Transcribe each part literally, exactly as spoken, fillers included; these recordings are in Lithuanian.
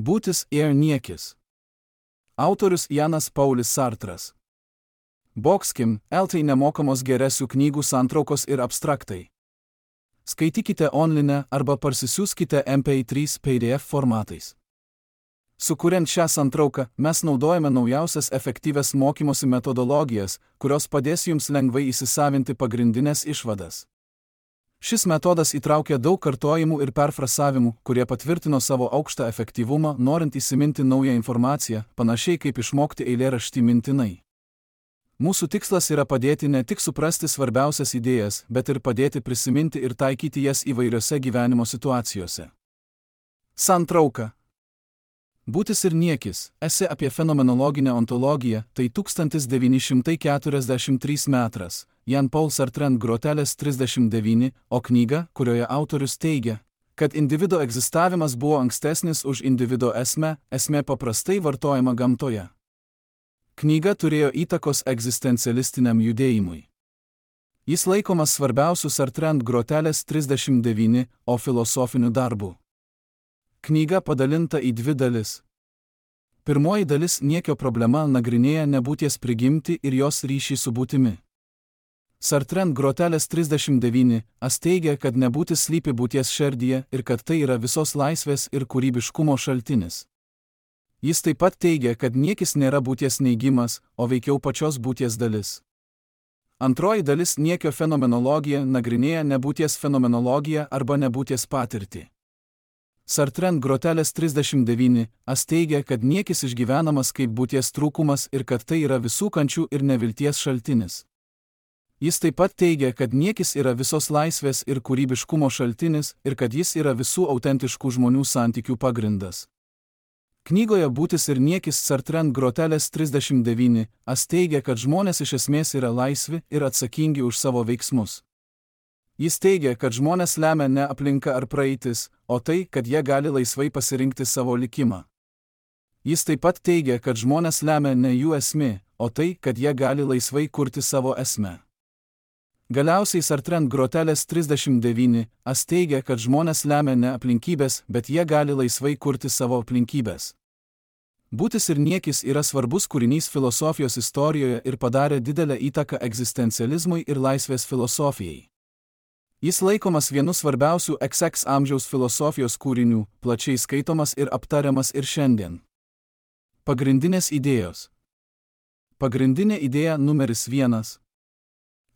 Būtis ir niekis. Autorius Janas Paulis Sartras. Bokskim, eltai nemokamos geresių knygų santraukos ir abstraktai. Skaitykite online arba parsisiųskite M P trys P D F formatais. Sukuriant šią santrauką, mes naudojame naujausias efektyvias mokymosi metodologijas, kurios padės jums lengvai įsisavinti pagrindinės išvadas. Šis metodas įtraukia daug kartojimų ir perfrasavimų, kurie patvirtino savo aukštą efektyvumą, norint įsiminti naują informaciją, panašiai kaip išmokti eilėraštį mintinai. Mūsų tikslas yra padėti ne tik suprasti svarbiausias idėjas, bet ir padėti prisiminti ir taikyti jas įvairiose gyvenimo situacijose. Santrauka. Būtis ir niekis, esė apie fenomenologinę ontologiją, tai tūkstantis devyni šimtai keturiasdešimt trečias metas, Jan Paul Sartre Grotelės trisdešimt devyni, o knyga, kurioje autorius teigia, kad individo egzistavimas buvo ankstesnis už individo esmę, esmė paprastai vartojama gamtoje. Knyga turėjo įtakos egzistencialistiniam judėjimui. Jis laikomas svarbiausiu Sartre Grotelės trisdešimt devyni, o filosofiniu darbu. Knyga padalinta į dvi dalis. Pirmoji dalis niekio problema nagrinėja nebūties prigimtį ir jos ryšį su būtimi. Sartre Grotelės trisdešimt devyni as teigia, kad nebūtis slypi būties šerdyje ir kad tai yra visos laisvės ir kūrybiškumo šaltinis. Jis taip pat teigia, kad niekis nėra būties neigimas, o veikiau pačios būties dalis. Antroji dalis niekio fenomenologija nagrinėja nebūties fenomenologiją arba nebūties patirtį. Sartre Grotelės trisdešimt devyni as teigia, kad niekis išgyvenamas kaip būties trūkumas ir kad tai yra visų kančių ir nevilties šaltinis. Jis taip pat teigia, kad niekis yra visos laisvės ir kūrybiškumo šaltinis ir kad jis yra visų autentiškų žmonių santykių pagrindas. Knygoje Būtis ir niekis Sartre Grotelės trisdešimt devyni as teigia, kad žmonės iš esmės yra laisvi ir atsakingi už savo veiksmus. Jis teigia, kad žmonės lemia ne aplinka ar praeitis, o tai, kad jie gali laisvai pasirinkti savo likimą. Jis taip pat teigia, kad žmonės lemia ne jų esmė, o tai, kad jie gali laisvai kurti savo esmę. Galiausiai Sartre Grotelės trisdešimt devyni as teigia, kad žmonės lemia ne aplinkybės, bet jie gali laisvai kurti savo aplinkybės. Būtis ir niekis yra svarbus kūrinys filosofijos istorijoje ir padarė didelę įtaką egzistencializmui ir laisvės filosofijai. Jis laikomas vienu svarbiausių X X amžiaus filosofijos kūrinių, plačiai skaitomas ir aptariamas ir šiandien. Pagrindinės idėjos. Pagrindinė idėja numeris vienas.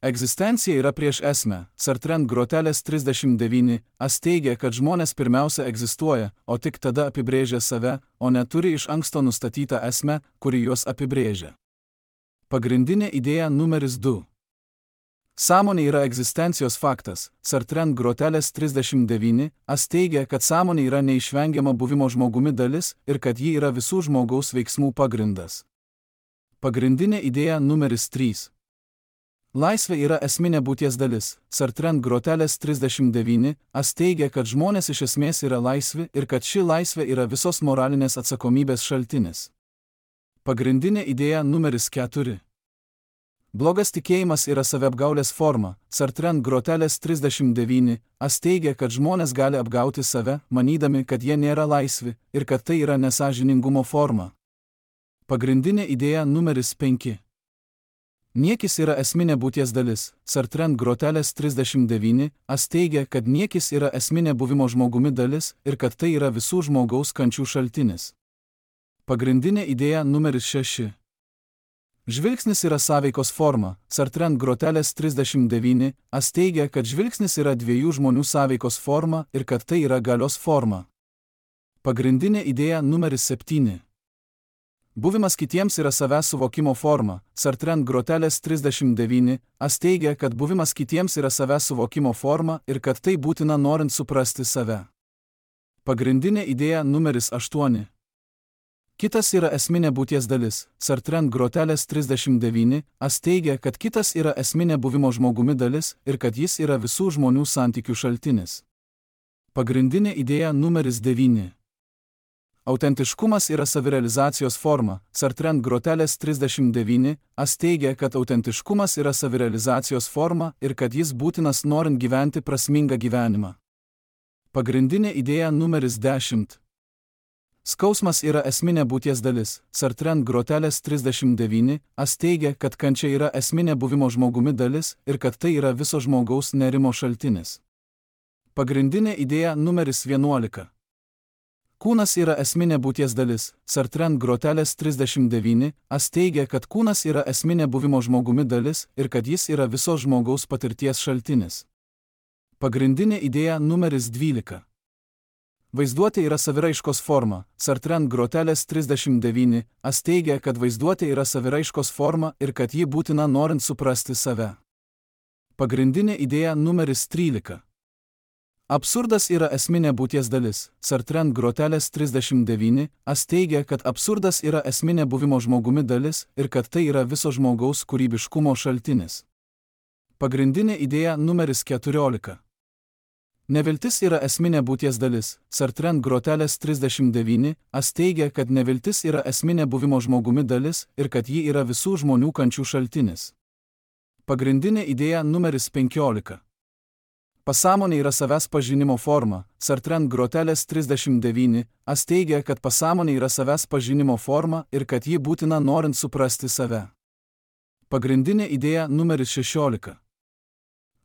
Egzistencija yra prieš esmę. Sartre Grotelės trisdešimt devyni as teigia, kad žmonės pirmiausia egzistuoja, o tik tada apibrėžia save, o neturi iš anksto nustatytą esmę, kuri juos apibrėžia. Pagrindinė idėja numeris du. Sąmonė yra egzistencijos faktas. Sartre Grotelės trisdešimt devyni as teigia, kad sąmonė yra neišvengiama buvimo žmogumi dalis ir kad ji yra visų žmogaus veiksmų pagrindas. Pagrindinė idėja numeris trys. Laisvė yra esminė būties dalis. Sartre Grotelės trisdešimt devyni as teigia, kad žmonės iš esmės yra laisvi ir kad ši laisvė yra visos moralinės atsakomybės šaltinis. Pagrindinė idėja numeris keturi. Blogas tikėjimas yra saviapgaulės forma. Sartre Grotelės trisdešimt devyni as teigia, kad žmonės gali apgauti save, manydami, kad jie nėra laisvi ir kad tai yra nesąžiningumo forma. Pagrindinė idėja numeris penki. Niekis yra esminė būties dalis. Sartre Grotelės trisdešimt devyni as teigia, kad niekis yra esminė buvimo žmogumi dalis ir kad tai yra visų žmogaus kančių šaltinis. Pagrindinė idėja numeris šeši. Žvilgsnis yra sąveikos forma. Sartre Grotelės trisdešimt devyni as teigia, kad žvilgsnis yra dviejų žmonių sąveikos forma ir kad tai yra galios forma. Pagrindinė idėja numeris septyni. Buvimas kitiems yra savęs suvokimo forma. Sartre Grotelės trisdešimt devyni as teigia, kad buvimas kitiems yra savęs suvokimo forma ir kad tai būtina norint suprasti save. Pagrindinė idėja numeris aštuoni. Kitas yra esminė būties dalis. Sartre Grotelės trisdešimt devyni as teigia, kad kitas yra esminė buvimo žmogumi dalis ir kad jis yra visų žmonių santykių šaltinis. Pagrindinė idėja numeris devyni. Autentiškumas yra savirealizacijos forma. Sartre Grotelės trisdešimt devyni as teigia, kad autentiškumas yra savirealizacijos forma ir kad jis būtinas norint gyventi prasmingą gyvenimą. Pagrindinė idėja numeris dešimt. Skausmas yra esminė būties dalis. Sartre Groteles trisdešimt devyni as teigia, kad kančia yra esminė buvimo žmogumi dalis ir kad tai yra viso žmogaus nerimo šaltinis. Pagrindinė idėja numeris vienuolika. Kūnas yra esminė būties dalis. Sartre Groteles trisdešimt devyni as teigia, kad kūnas yra esminė buvimo žmogumi dalis ir kad jis yra viso žmogaus patirties šaltinis. Pagrindinė idėja numeris dvylika. Vaizduotė yra saviraiškos forma. Sartre Groteles trisdešimt devyni as teigia, kad vaizduotė yra saviraiškos forma ir kad ji būtina norint suprasti save. Pagrindinė idėja numeris trylika. Absurdas yra esminė būties dalis. Sartre Groteles trisdešimt devyni as teigia, kad absurdas yra esminė buvimo žmogumi dalis ir kad tai yra viso žmogaus kūrybiškumo šaltinis. Pagrindinė idėja numeris keturiolika. Neviltis yra esminė būties dalis. Sartre Groteles trisdešimt devyni as teigia, kad neviltis yra esminė buvimo žmogumi dalis ir kad ji yra visų žmonių kančių šaltinis. Pagrindinė idėja numeris penkiolika. Pasąmonė yra savęs pažinimo forma. Sartre Groteles trisdešimt devyni as teigia, kad pasąmonė yra savęs pažinimo forma ir kad ji būtina norint suprasti save. Pagrindinė idėja numeris šešiolika.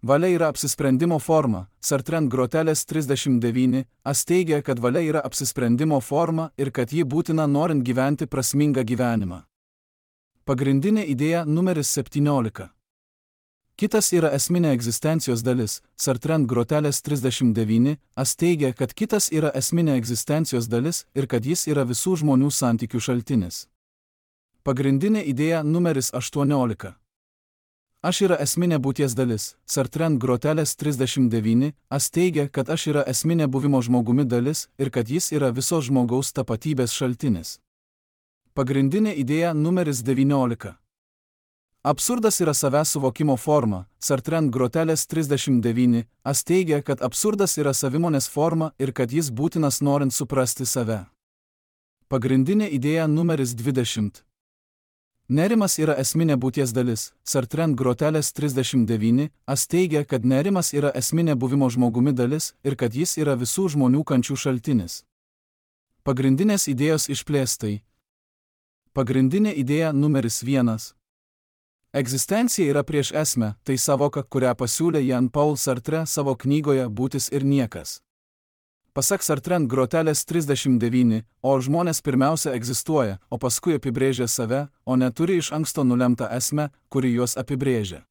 Valia yra apsisprendimo forma. Sartre Groteles trisdešimt devyni as teigia, kad valia yra apsisprendimo forma ir kad ji būtina norint gyventi prasmingą gyvenimą. Pagrindinė idėja numeris septyniolika. Kitas yra esminė egzistencijos dalis. Sartre Groteles trisdešimt devyni as teigia, kad kitas yra esminė egzistencijos dalis ir kad jis yra visų žmonių santykių šaltinis. Pagrindinė idėja numeris aštuoniolika. Aš yra esminė būties dalis. Sartre Groteles trisdešimt devyni as teigia, kad aš yra esminė buvimo žmogumi dalis ir kad jis yra viso žmogaus tapatybės šaltinis. Pagrindinė idėja numeris devyniolika. Absurdas yra savęs suvokimo forma. Sartre Groteles trisdešimt devyni as teigia, kad absurdas yra savimonės forma ir kad jis būtinas norint suprasti save. Pagrindinė idėja numeris dvidešimt. Nerimas yra esminė būties dalis. Sartre Groteles trisdešimt devyni as teigia, kad nerimas yra esminė buvimo žmogumi dalis ir kad jis yra visų žmonių kančių šaltinis. Pagrindinės idėjos išplėstai. Pagrindinė idėja numeris vienas. Egzistencija yra prieš esmę, tai savoka, kurią pasiūlė Jean-Paul Sartre savo knygoje Būtis ir niekas. Pasak Sartre Groteles trisdešimt devyni, o žmonės pirmiausia egzistuoja, o paskui apibrėžia save, o neturi iš anksto nulemtą esmę, kuri juos apibrėžia.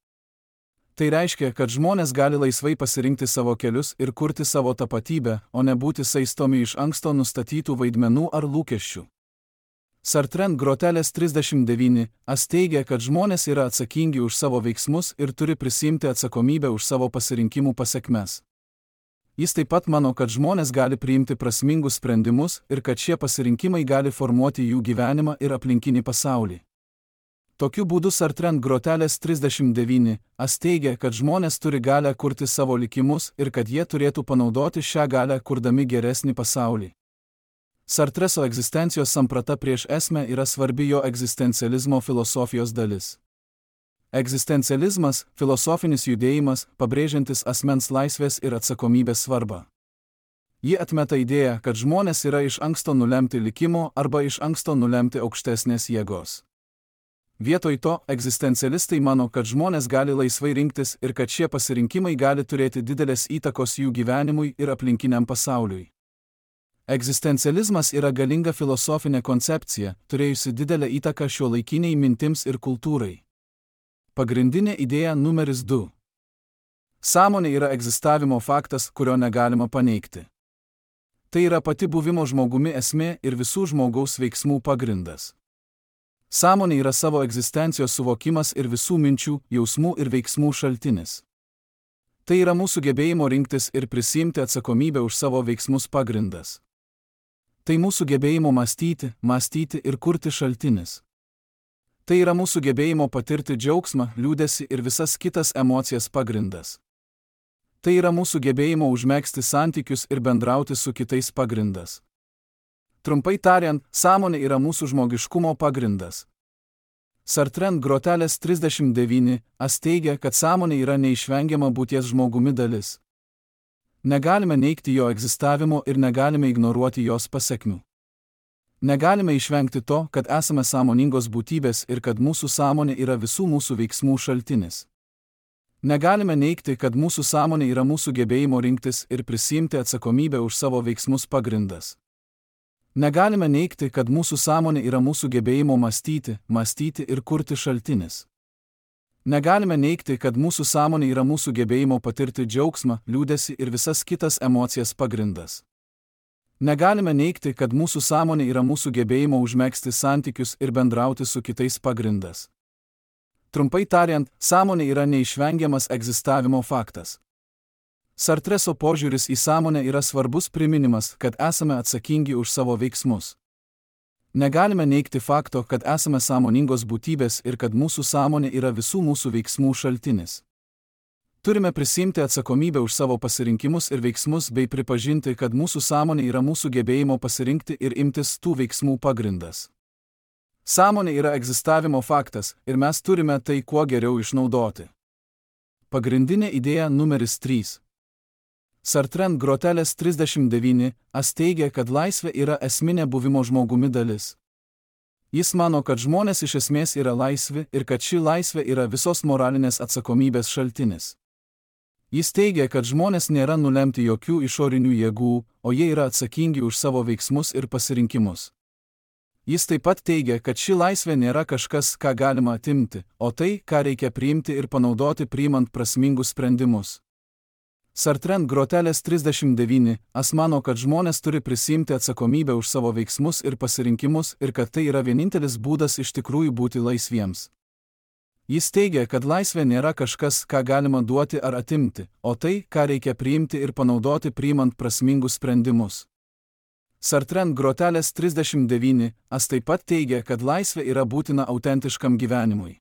Tai reiškia, kad žmonės gali laisvai pasirinkti savo kelius ir kurti savo tapatybę, o ne būti saistomi iš anksto nustatytų vaidmenų ar lūkesčių. Sartre Groteles trisdešimt devyni as teigia, kad žmonės yra atsakingi už savo veiksmus ir turi prisimti atsakomybę už savo pasirinkimų pasekmes. Jis taip pat mano, kad žmonės gali priimti prasmingus sprendimus ir kad šie pasirinkimai gali formuoti jų gyvenimą ir aplinkinį pasaulį. Tokiu būdu Sartre Groteles trisdešimt devyni as teigia, kad žmonės turi galią kurti savo likimus ir kad jie turėtų panaudoti šią galią kurdami geresnį pasaulį. Sartreso egzistencijos samprata prieš esmę yra svarbi jo egzistencializmo filosofijos dalis. Egzistencializmas – filosofinis judėjimas, pabrėžiantis asmens laisvės ir atsakomybės svarbą. Ji atmeta idėją, kad žmonės yra iš anksto nulemti likimo arba iš anksto nulemti aukštesnės jėgos. Vietoj to, egzistencialistai mano, kad žmonės gali laisvai rinktis ir kad šie pasirinkimai gali turėti didelės įtakos jų gyvenimui ir aplinkiniam pasauliui. Egzistencializmas yra galinga filosofinė koncepcija, turėjusi didelę įtaką šiuolaikiniai mintims ir kultūrai. Pagrindinė idėja numeris du. Sąmonė yra egzistavimo faktas, kurio negalima paneigti. Tai yra pati buvimo žmogumi esmė ir visų žmogaus veiksmų pagrindas. Sąmonė yra savo egzistencijos suvokimas ir visų minčių, jausmų ir veiksmų šaltinis. Tai yra mūsų gebėjimo rinktis ir prisiimti atsakomybę už savo veiksmus pagrindas. Tai mūsų gebėjimo mąstyti, mąstyti ir kurti šaltinis. Tai yra mūsų gebėjimo patirti džiaugsmą, liūdesį ir visas kitas emocijas pagrindas. Tai yra mūsų gebėjimo užmegzti santykius ir bendrauti su kitais pagrindas. Trumpai tariant, sąmonė yra mūsų žmogiškumo pagrindas. Sartre Groteles trisdešimt devyni as teigia, kad sąmonė yra neišvengiama būties žmogumi dalis. Negalime neigti jo egzistavimo ir negalime ignoruoti jos pasekmių. Negalime išvengti to, kad esame sąmoningos būtybės ir kad mūsų sąmonė yra visų mūsų veiksmų šaltinis. Negalime neigti, kad mūsų sąmonė yra mūsų gebėjimo rinktis ir prisiimti atsakomybę už savo veiksmus pagrindas. Negalime neigti, kad mūsų sąmonė yra mūsų gebėjimo mąstyti, mąstyti ir kurti šaltinis. Negalime neigti, kad mūsų sąmonė yra mūsų gebėjimo patirti džiaugsmą, liūdesį ir visas kitas emocijas pagrindas. Negalime neigti, kad mūsų sąmonė yra mūsų gebėjimo užmegzti santykius ir bendrauti su kitais pagrindas. Trumpai tariant, sąmonė yra neišvengiamas egzistavimo faktas. Sartreso požiūris į sąmonę yra svarbus priminimas, kad esame atsakingi už savo veiksmus. Negalime neigti fakto, kad esame sąmoningos būtybės ir kad mūsų sąmonė yra visų mūsų veiksmų šaltinis. Turime prisiimti atsakomybę už savo pasirinkimus ir veiksmus bei pripažinti, kad mūsų sąmonė yra mūsų gebėjimo pasirinkti ir imtis tų veiksmų pagrindas. Sąmonė yra egzistavimo faktas ir mes turime tai kuo geriau išnaudoti. Pagrindinė idėja numeris trys. Sartre Groteles trisdešimt devyni as teigia, kad laisvė yra esminė buvimo žmogumi dalis. Jis mano, kad žmonės iš esmės yra laisvi ir kad ši laisvė yra visos moralinės atsakomybės šaltinis. Jis teigia, kad žmonės nėra nulemti jokių išorinių jėgų, o jie yra atsakingi už savo veiksmus ir pasirinkimus. Jis taip pat teigia, kad ši laisvė nėra kažkas, ką galima atimti, o tai, ką reikia priimti ir panaudoti priimant prasmingus sprendimus. Sartre Groteles trisdešimt devyni as mano, kad žmonės turi prisiimti atsakomybę už savo veiksmus ir pasirinkimus ir kad tai yra vienintelis būdas iš tikrųjų būti laisviems. Jis teigia, kad laisvė nėra kažkas, ką galima duoti ar atimti, o tai, ką reikia priimti ir panaudoti priimant prasmingus sprendimus. Sartre Groteles trisdešimt devyni as taip pat teigia, kad laisvė yra būtina autentiškam gyvenimui.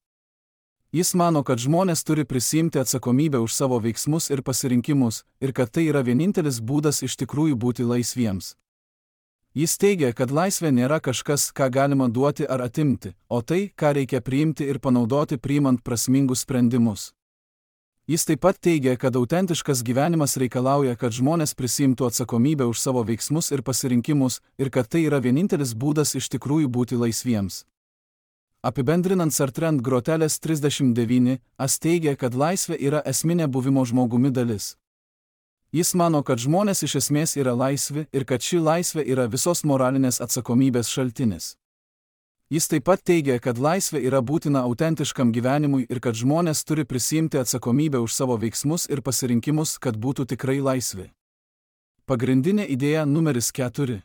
Jis mano, kad žmonės turi prisiimti atsakomybę už savo veiksmus ir pasirinkimus ir kad tai yra vienintelis būdas iš tikrųjų būti laisviems. Jis teigia, kad laisvė nėra kažkas, ką galima duoti ar atimti, o tai, ką reikia priimti ir panaudoti priimant prasmingus sprendimus. Jis taip pat teigia, kad autentiškas gyvenimas reikalauja, kad žmonės prisiimtų atsakomybę už savo veiksmus ir pasirinkimus ir kad tai yra vienintelis būdas iš tikrųjų būti laisviems. Apibendrinant, Sartre Groteles trisdešimt devyni as teigia, kad laisvė yra esminė buvimo žmogumi dalis. Jis mano, kad žmonės iš esmės yra laisvi ir kad ši laisvė yra visos moralinės atsakomybės šaltinis. Jis taip pat teigia, kad laisvė yra būtina autentiškam gyvenimui ir kad žmonės turi prisiimti atsakomybę už savo veiksmus ir pasirinkimus, kad būtų tikrai laisvi. Pagrindinė idėja numeris keturi.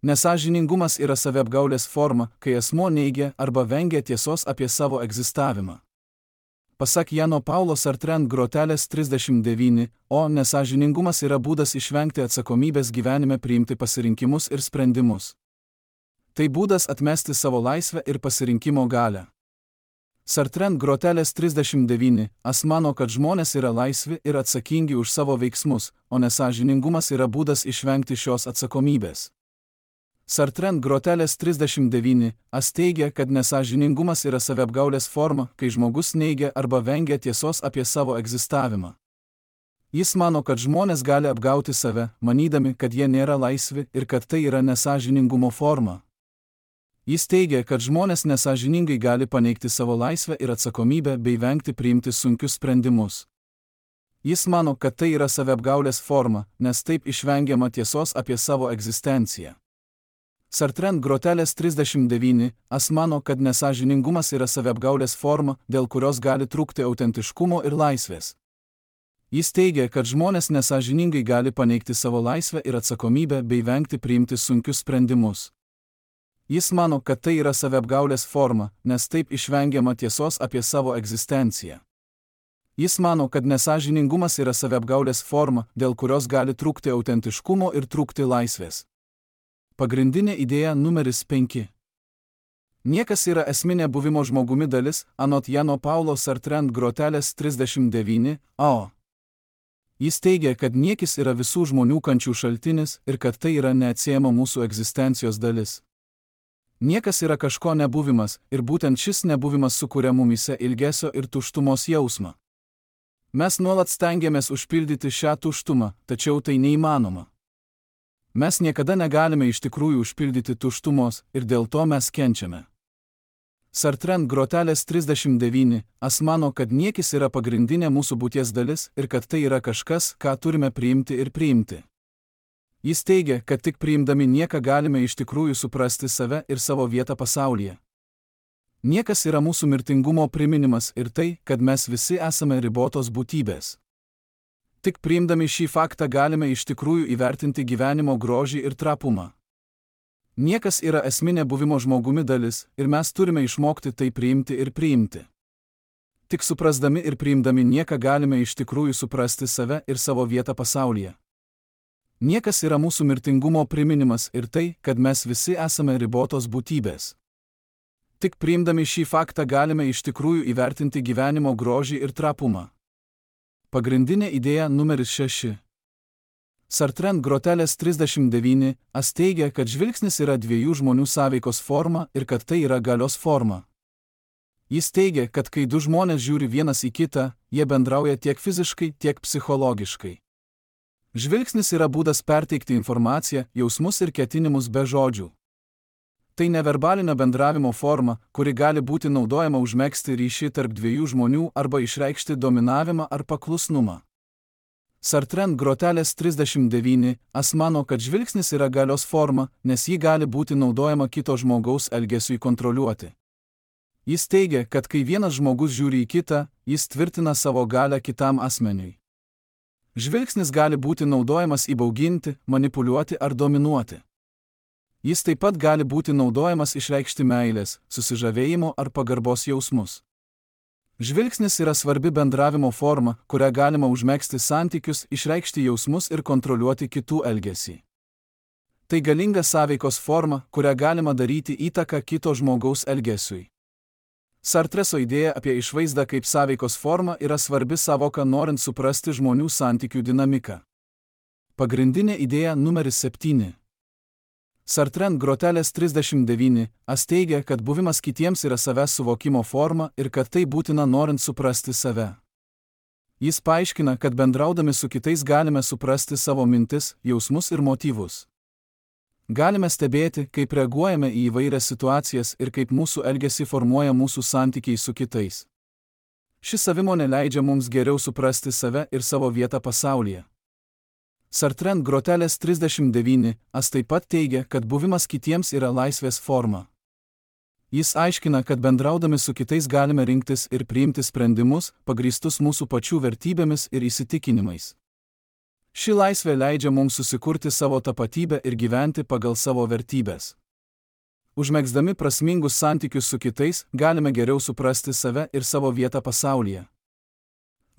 Nesąžiningumas yra saviapgaulės forma, kai asmuo neigia arba vengia tiesos apie savo egzistavimą. Pasak Jano Paulo Sartre Groteles trisdešimt devyni, o nesąžiningumas yra būdas išvengti atsakomybės gyvenime priimti pasirinkimus ir sprendimus. Tai būdas atmesti savo laisvę ir pasirinkimo galią. Sartre Groteles trisdešimt devyni as mano, kad žmonės yra laisvi ir atsakingi už savo veiksmus, o nesąžiningumas yra būdas išvengti šios atsakomybės. Sartre Groteles trisdešimt devyni as teigia, kad nesąžiningumas yra saviapgaulės forma, kai žmogus neigia arba vengia tiesos apie savo egzistavimą. Jis mano, kad žmonės gali apgauti save, manydami, kad jie nėra laisvi ir kad tai yra nesąžiningumo forma. Jis teigia, kad žmonės nesąžiningai gali paneigti savo laisvę ir atsakomybę bei vengti priimti sunkius sprendimus. Jis mano, kad tai yra saviapgaulės forma, nes taip išvengiama tiesos apie savo egzistenciją. Sartre Groteles trisdešimt devyni as mano, kad nesąžiningumas yra saviapgaulės forma, dėl kurios gali trūkti autentiškumo ir laisvės. Jis teigia, kad žmonės nesąžiningai gali paneigti savo laisvę ir atsakomybę bei vengti priimti sunkius sprendimus. Jis mano, kad tai yra saviapgaulės forma, nes taip išvengiama tiesos apie savo egzistenciją. Jis mano, kad nesąžiningumas yra saviapgaulės forma, dėl kurios gali trūkti autentiškumo ir trūkti laisvės. Pagrindinė idėja numeris penki. Niekas yra esminė buvimo žmogumi dalis, anot Jano Paulo Sartre Groteles trisdešimt devyni, a. Jis teigia, kad niekis yra visų žmonių kančių šaltinis ir kad tai yra neatsiejama mūsų egzistencijos dalis. Niekas yra kažko nebuvimas ir būtent šis nebuvimas sukuria mumyse ilgesio ir tuštumos jausmą. Mes nuolat stengiamės užpildyti šią tuštumą, tačiau tai neįmanoma. Mes niekada negalime iš tikrųjų užpildyti tuštumos ir dėl to mes kenčiame. Sartre Grotelės trisdešimt devyni as mano, kad niekis yra pagrindinė mūsų būties dalis ir kad tai yra kažkas, ką turime priimti ir priimti. Jis teigia, kad tik priimdami nieką galime iš tikrųjų suprasti save ir savo vietą pasaulyje. Niekas yra mūsų mirtingumo priminimas ir tai, kad mes visi esame ribotos būtybės. Tik priimdami šį faktą galime iš tikrųjų įvertinti gyvenimo grožį ir trapumą. Niekas yra esminė buvimo žmogumi dalis ir mes turime išmokti tai priimti ir priimti. Tik suprasdami ir priimdami nieką galime iš tikrųjų suprasti save ir savo vietą pasaulyje. Niekas yra mūsų mirtingumo priminimas ir tai, kad mes visi esame ribotos būtybės. Tik priimdami šį faktą galime iš tikrųjų įvertinti gyvenimo grožį ir trapumą. Pagrindinė idėja numeris šeši. Sartre Grotelės trisdešimt devyni as teigia, kad žvilgsnis yra dviejų žmonių sąveikos forma ir kad tai yra galios forma. Jis teigia, kad kai du žmonės žiūri vienas į kitą, jie bendrauja tiek fiziškai, tiek psichologiškai. Žvilgsnis yra būdas perteikti informaciją, jausmus ir ketinimus be žodžių. Tai neverbalinio bendravimo forma, kuri gali būti naudojama užmegzti ryšį tarp dviejų žmonių arba išreikšti dominavimą ar paklusnumą. Sartre Grotelės trisdešimt devyni as mano, kad žvilgsnis yra galios forma, nes ji gali būti naudojama kito žmogaus elgesiui kontroliuoti. Jis teigia, kad kai vienas žmogus žiūri į kitą, jis tvirtina savo galią kitam asmeniui. Žvilgsnis gali būti naudojamas įbauginti, manipuliuoti ar dominuoti. Jis taip pat gali būti naudojamas išreikšti meilės, susižavėjimo ar pagarbos jausmus. Žvilgsnis yra svarbi bendravimo forma, kurią galima užmegzti santykius, išreikšti jausmus ir kontroliuoti kitų elgesį. Tai galinga sąveikos forma, kurią galima daryti įtaką kito žmogaus elgesiui. Sartreso idėja apie išvaizdą kaip sąveikos formą yra svarbi sąvoka norint suprasti žmonių santykių dinamiką. Pagrindinė idėja numeris septyni. Sartre Grotelės trisdešimt devyni as teigia, kad buvimas kitiems yra savęs suvokimo forma ir kad tai būtina norint suprasti save. Jis paaiškina, kad bendraudami su kitais galime suprasti savo mintis, jausmus ir motyvus. Galime stebėti, kaip reaguojame į įvairias situacijas ir kaip mūsų elgesį formuoja mūsų santykiai su kitais. Ši savimonė leidžia mums geriau suprasti save ir savo vietą pasaulyje. Sartre Grotelės trisdešimt devyni as taip pat teigia, kad buvimas kitiems yra laisvės forma. Jis aiškina, kad bendraudami su kitais galime rinktis ir priimti sprendimus, pagrįstus mūsų pačių vertybėmis ir įsitikinimais. Ši laisvė leidžia mums susikurti savo tapatybę ir gyventi pagal savo vertybės. Užmegzdami prasmingus santykius su kitais, galime geriau suprasti save ir savo vietą pasaulyje.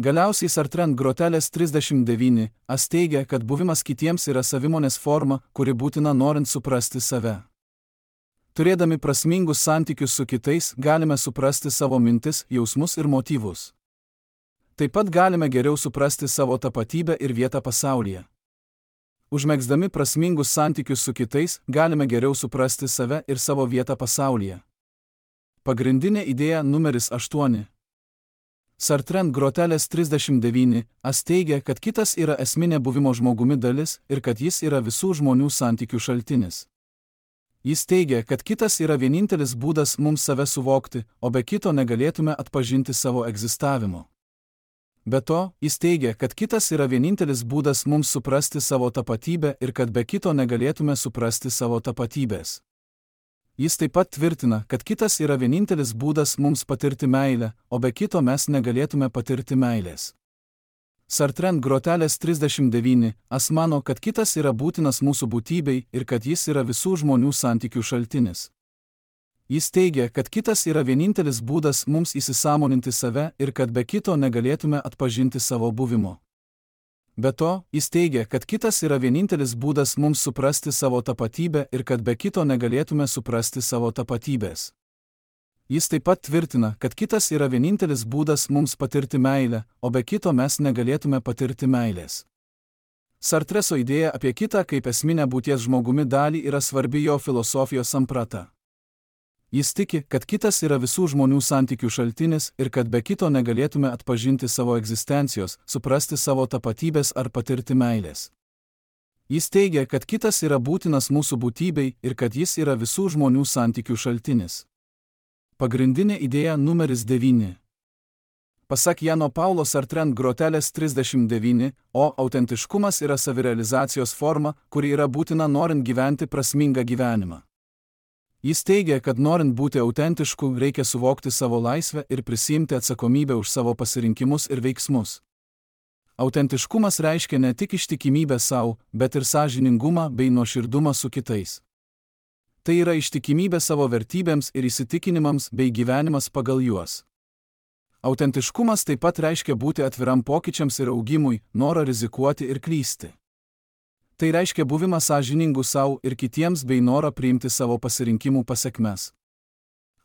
Galiausiai Sartre Grotelės trisdešimt devyni as teigia, kad buvimas kitiems yra savimonės forma, kuri būtina norint suprasti save. Turėdami prasmingus santykius su kitais, galime suprasti savo mintis, jausmus ir motyvus. Taip pat galime geriau suprasti savo tapatybę ir vietą pasaulyje. Užmegzdami prasmingus santykius su kitais, galime geriau suprasti save ir savo vietą pasaulyje. Pagrindinė idėja numeris aštuoni. Sartre Grotelės trisdešimt devyni as teigia, kad kitas yra esminė buvimo žmogumi dalis ir kad jis yra visų žmonių santykių šaltinis. Jis teigia, kad kitas yra vienintelis būdas mums save suvokti, o be kito negalėtume atpažinti savo egzistavimo. Be to, jis teigia, kad kitas yra vienintelis būdas mums suprasti savo tapatybę ir kad be kito negalėtume suprasti savo tapatybės. Jis taip pat tvirtina, kad kitas yra vienintelis būdas mums patirti meilę, o be kito mes negalėtume patirti meilės. Sartre Grotelės trisdešimt devyni as mano, kad kitas yra būtinas mūsų būtybei ir kad jis yra visų žmonių santykių šaltinis. Jis teigia, kad kitas yra vienintelis būdas mums įsisąmoninti save ir kad be kito negalėtume atpažinti savo buvimo. Be to, jis teigia, kad kitas yra vienintelis būdas mums suprasti savo tapatybę ir kad be kito negalėtume suprasti savo tapatybės. Jis taip pat tvirtina, kad kitas yra vienintelis būdas mums patirti meilę, o be kito mes negalėtume patirti meilės. Sartreso idėja apie kitą kaip esminę būties žmogumi dalį yra svarbi jo filosofijos samprata. Jis tiki, kad kitas yra visų žmonių santykių šaltinis ir kad be kito negalėtume atpažinti savo egzistencijos, suprasti savo tapatybės ar patirti meilės. Jis teigia, kad kitas yra būtinas mūsų būtybei ir kad jis yra visų žmonių santykių šaltinis. Pagrindinė idėja numeris devyni. Pasak Jano Paulo Sartre grotelės trisdešimt devyni, o autentiškumas yra savirealizacijos forma, kuri yra būtina norint gyventi prasmingą gyvenimą. Jis teigia, kad norint būti autentišku, reikia suvokti savo laisvę ir prisiimti atsakomybę už savo pasirinkimus ir veiksmus. Autentiškumas reiškia ne tik ištikimybę savo, bet ir sąžiningumą bei nuoširdumą su kitais. Tai yra ištikimybė savo vertybėms ir įsitikinimams bei gyvenimas pagal juos. Autentiškumas taip pat reiškia būti atviram pokyčiams ir augimui, norą rizikuoti ir klysti. Tai reiškia buvimą sąžiningų savo ir kitiems bei norą priimti savo pasirinkimų pasekmes.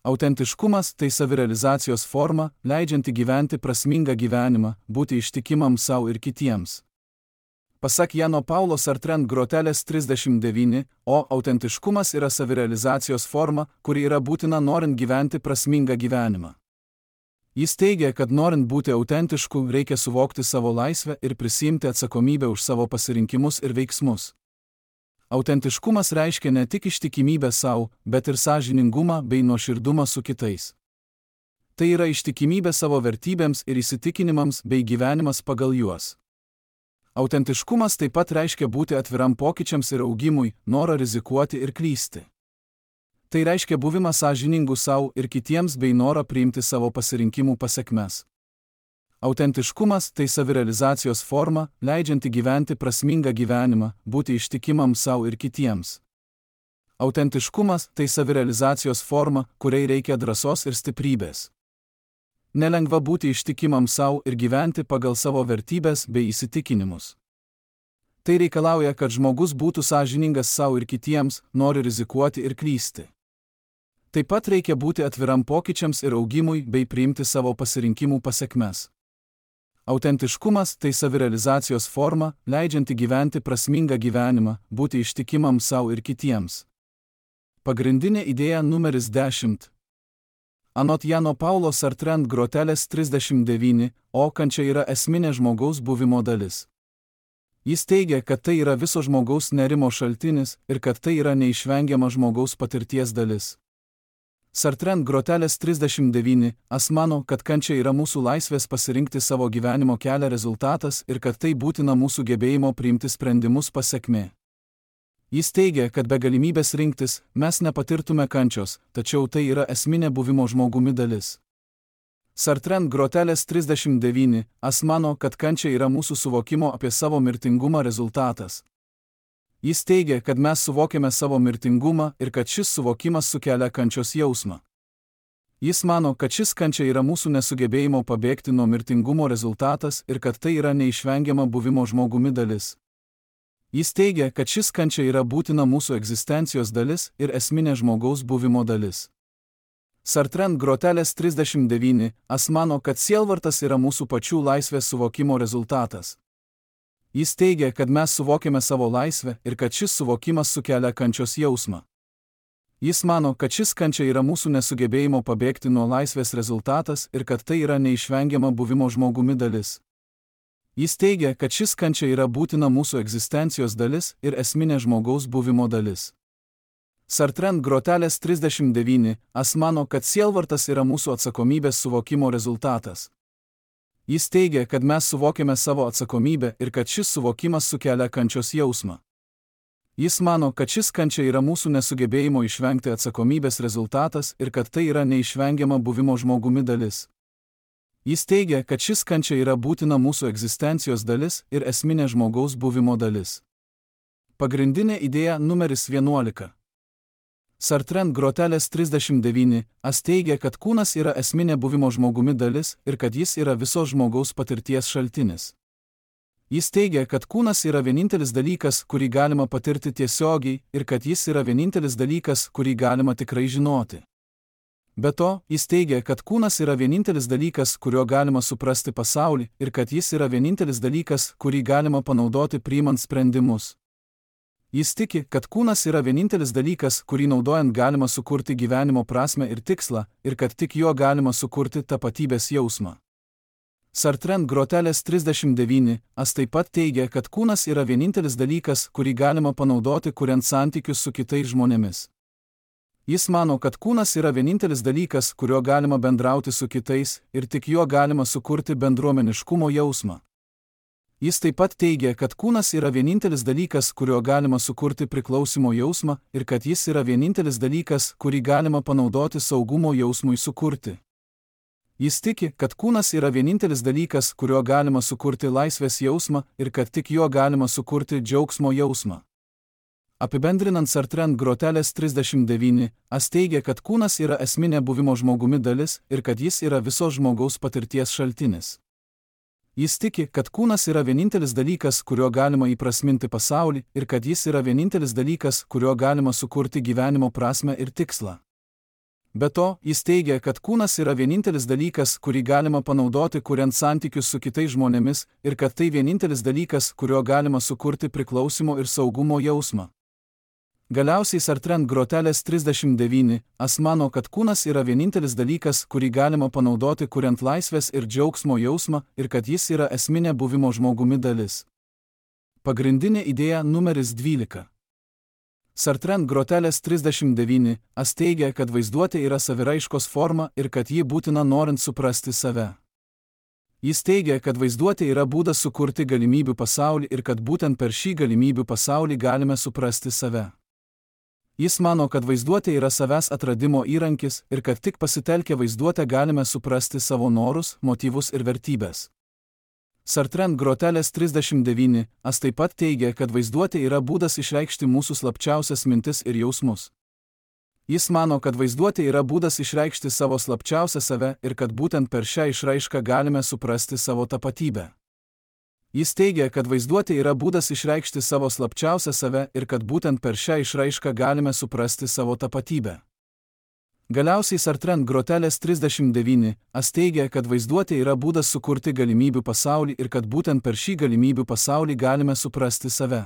Autentiškumas tai savirealizacijos forma, leidžianti gyventi prasmingą gyvenimą, būti ištikimam savo ir kitiems. Pasak Jano Paulo Sartre grotelės trisdešimt devyni, o autentiškumas yra savirealizacijos forma, kuri yra būtina norint gyventi prasmingą gyvenimą. Jis teigia, kad norint būti autentišku, reikia suvokti savo laisvę ir prisiimti atsakomybę už savo pasirinkimus ir veiksmus. Autentiškumas reiškia ne tik ištikimybę savo, bet ir sąžiningumą bei nuoširdumą su kitais. Tai yra ištikimybė savo vertybėms ir įsitikinimams bei gyvenimas pagal juos. Autentiškumas taip pat reiškia būti atviram pokyčiams ir augimui, norą rizikuoti ir klysti. Tai reiškia buvimą sąžiningų savo ir kitiems bei norą priimti savo pasirinkimų pasekmes. Autentiškumas tai savirealizacijos forma, leidžianti gyventi prasmingą gyvenimą, būti ištikimam savo ir kitiems. Autentiškumas tai savirealizacijos forma, kuriai reikia drąsos ir stiprybės. Nelengva būti ištikimam savo ir gyventi pagal savo vertybės bei įsitikinimus. Tai reikalauja, kad žmogus būtų sąžiningas savo ir kitiems, nori rizikuoti ir klysti. Taip pat reikia būti atviram pokyčiams ir augimui bei priimti savo pasirinkimų pasekmes. Autentiškumas tai savirealizacijos forma, leidžianti gyventi prasmingą gyvenimą, būti ištikimam savo ir kitiems. Pagrindinė idėja numeris dešimt. Anot Jano Paulo Sartre grotelės trisdešimt devyni, o kančia yra esminė žmogaus buvimo dalis. Jis teigia, kad tai yra viso žmogaus nerimo šaltinis ir kad tai yra neišvengiama žmogaus patirties dalis. Sartre grotelės trisdešimt devyni, as mano, kad kančia yra mūsų laisvės pasirinkti savo gyvenimo kelią rezultatas ir kad tai būtina mūsų gebėjimo priimti sprendimus pasekmė. Jis teigia, kad be galimybės rinktis, mes nepatirtume kančios, tačiau tai yra esminė buvimo žmogumi dalis. Sartre grotelės trisdešimt devyni, as mano, kad kančia yra mūsų suvokimo apie savo mirtingumą rezultatas. Jis teigia, kad mes suvokiame savo mirtingumą ir kad šis suvokimas sukelia kančios jausmą. Jis mano, kad šis kančia yra mūsų nesugebėjimo pabėgti nuo mirtingumo rezultatas ir kad tai yra neišvengiama buvimo žmogumi dalis. Jis teigia, kad šis kančia yra būtina mūsų egzistencijos dalis ir esminė žmogaus buvimo dalis. Sartre grotelės trisdešimt devyni, as mano, kad sielvartas yra mūsų pačių laisvės suvokimo rezultatas. Jis teigia, kad mes suvokiame savo laisvę ir kad šis suvokimas sukelia kančios jausmą. Jis mano, kad šis kančia yra mūsų nesugebėjimo pabėgti nuo laisvės rezultatas ir kad tai yra neišvengiama buvimo žmogumi dalis. Jis teigia, kad šis kančia yra būtina mūsų egzistencijos dalis ir esminė žmogaus buvimo dalis. Sartre grotelės trisdešimt devyni, as mano, kad sielvartas yra mūsų atsakomybės suvokimo rezultatas. Jis teigia, kad mes suvokiame savo atsakomybę ir kad šis suvokimas sukelia kančios jausmą. Jis mano, kad šis kančia yra mūsų nesugebėjimo išvengti atsakomybės rezultatas ir kad tai yra neišvengiama buvimo žmogumi dalis. Jis teigia, kad šis kančia yra būtina mūsų egzistencijos dalis ir esminė žmogaus buvimo dalis. Pagrindinė idėja numeris vienuolika. Sartre grotelės trisdešimt devyni, as teigia, kad kūnas yra esminė buvimo žmogumi dalis ir kad jis yra visos žmogaus patirties šaltinis. Jis teigia, kad kūnas yra vienintelis dalykas, kurį galima patirti tiesiogiai ir kad jis yra vienintelis dalykas, kurį galima tikrai žinoti. Be to, jis teigia, kad kūnas yra vienintelis dalykas, kuriuo galima suprasti pasaulį ir kad jis yra vienintelis dalykas, kurį galima panaudoti priimant sprendimus. Jis tiki, kad kūnas yra vienintelis dalykas, kurį naudojant galima sukurti gyvenimo prasmę ir tikslą, ir kad tik juo galima sukurti tapatybės jausmą. Sartre Groteles trisdešimt devyni as taip pat teigia, kad kūnas yra vienintelis dalykas, kurį galima panaudoti kuriant santykius su kitais žmonėmis. Jis mano, kad kūnas yra vienintelis dalykas, kuriuo galima bendrauti su kitais ir tik juo galima sukurti bendruomeniškumo jausmą. Jis taip pat teigia, kad kūnas yra vienintelis dalykas, kuriuo galima sukurti priklausimo jausmą ir kad jis yra vienintelis dalykas, kurį galima panaudoti saugumo jausmui sukurti. Jis tiki, kad kūnas yra vienintelis dalykas, kuriuo galima sukurti laisvės jausmą ir kad tik juo galima sukurti džiaugsmo jausmą. Apibendrinant Sartre Groteles trisdešimt devyni as teigia, kad kūnas yra esminė buvimo žmogumi dalis ir kad jis yra visos žmogaus patirties šaltinis. Jis tiki, kad kūnas yra vienintelis dalykas, kuriuo galima įprasminti pasaulį ir kad jis yra vienintelis dalykas, kuriuo galima sukurti gyvenimo prasmę ir tikslą. Be to, jis teigia, kad kūnas yra vienintelis dalykas, kurį galima panaudoti kuriant santykius su kitais žmonėmis ir kad tai vienintelis dalykas, kuriuo galima sukurti priklausimo ir saugumo jausmą. Galiausiai Sartre Groteles trisdešimt devyni as mano, kad kūnas yra vienintelis dalykas, kurį galima panaudoti kuriant laisvės ir džiaugsmo jausmą ir kad jis yra esminė buvimo žmogumi dalis. Pagrindinė idėja numeris dvylika. Sartre Groteles trisdešimt devyni as teigia, kad vaizduotė yra saviraiškos forma ir kad ji būtina norint suprasti save. Jis teigia, kad vaizduotė yra būdas sukurti galimybių pasaulį ir kad būtent per šį galimybių pasaulį galime suprasti save. Jis mano, kad vaizduotė yra savęs atradimo įrankis ir kad tik pasitelkę vaizduotę galime suprasti savo norus, motyvus ir vertybės. Sartre Groteles trisdešimt devyni as taip pat teigia, kad vaizduotė yra būdas išreikšti mūsų slapčiausias mintis ir jausmus. Jis mano, kad vaizduotė yra būdas išreikšti savo slapčiausią save ir kad būtent per šią išraišką galime suprasti savo tapatybę. Jis teigia, kad vaizduotė yra būdas išreikšti savo slapčiausią save ir kad būtent per šią išraišką galime suprasti savo tapatybę. Galiausiai Sartre Groteles trisdešimt devyni as teigia, kad vaizduotė yra būdas sukurti galimybių pasaulį ir kad būtent per šį galimybių pasaulį galime suprasti save.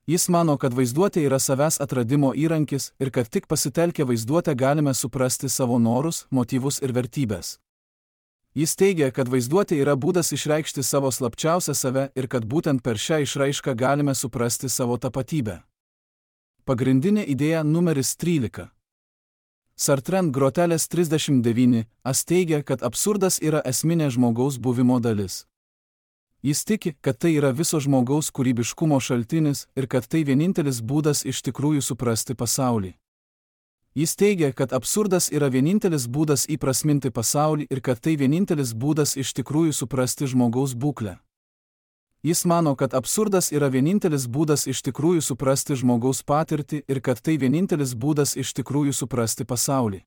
Jis mano, kad vaizduotė yra savęs atradimo įrankis ir kad tik pasitelkę vaizduotę galime suprasti savo norus, motyvus ir vertybės. Jis teigia, kad vaizduotė yra būdas išreikšti savo slapčiausią save ir kad būtent per šią išraišką galime suprasti savo tapatybę. Pagrindinė idėja numeris trylika. Sartre Groteles trisdešimt devyni as teigia, kad absurdas yra esminė žmogaus buvimo dalis. Jis tiki, kad tai yra viso žmogaus kūrybiškumo šaltinis ir kad tai vienintelis būdas iš tikrųjų suprasti pasaulį. Jis teigia, kad absurdas yra vienintelis būdas įprasminti pasaulį ir kad tai vienintelis būdas iš tikrųjų suprasti žmogaus būklę. Jis mano, kad absurdas yra vienintelis būdas iš tikrųjų suprasti žmogaus patirtį ir kad tai vienintelis būdas iš tikrųjų suprasti pasaulį.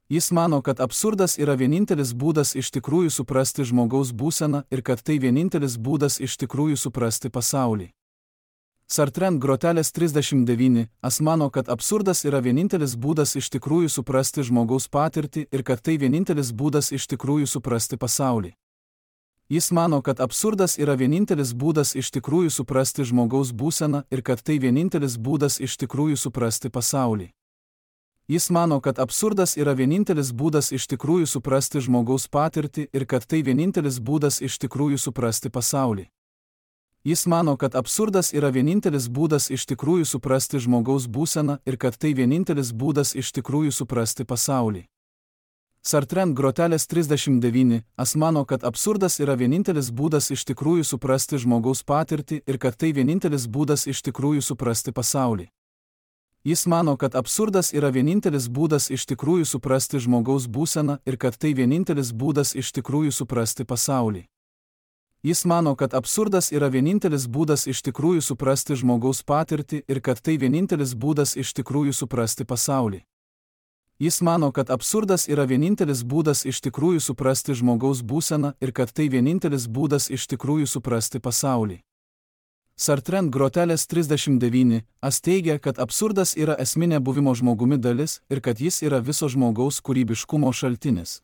Jis mano, kad absurdas yra vienintelis būdas iš tikrųjų suprasti žmogaus būseną ir kad tai vienintelis būdas iš tikrųjų suprasti pasaulį. Sartre Groteles trisdešimt devyni as mano, kad absurdas yra vienintelis būdas iš tikrųjų suprasti žmogaus patirtį ir kad tai vienintelis būdas iš tikrųjų suprasti pasaulį. Jis mano, kad absurdas yra vienintelis būdas iš tikrųjų suprasti žmogaus būseną ir kad tai vienintelis būdas iš tikrųjų suprasti pasaulį. Jis mano, kad absurdas yra vienintelis būdas iš tikrųjų suprasti žmogaus patirtį ir kad tai vienintelis būdas iš tikrųjų suprasti pasaulį. Jis mano, kad absurdas yra vienintelis būdas iš tikrųjų suprasti žmogaus būseną ir kad tai vienintelis būdas iš tikrųjų suprasti pasaulį. Sartre Groteles trisdešimt devyni as mano, kad absurdas yra vienintelis būdas iš tikrųjų suprasti žmogaus patirtį ir kad tai vienintelis būdas iš tikrųjų suprasti pasaulį. Jis mano, kad absurdas yra vienintelis būdas iš tikrųjų suprasti žmogaus būseną ir kad tai vienintelis būdas iš tikrųjų suprasti pasaulį. Jis mano, kad absurdas yra vienintelis būdas iš tikrųjų suprasti žmogaus patirtį ir kad tai vienintelis būdas iš tikrųjų suprasti pasaulį. Jis mano, kad absurdas yra vienintelis būdas iš tikrųjų suprasti žmogaus būseną ir kad tai vienintelis būdas iš tikrųjų suprasti pasaulį. Sartre Groteles trisdešimt devyni as teigia, kad absurdas yra esminė buvimo žmogumi dalis ir kad jis yra viso žmogaus kūrybiškumo šaltinis.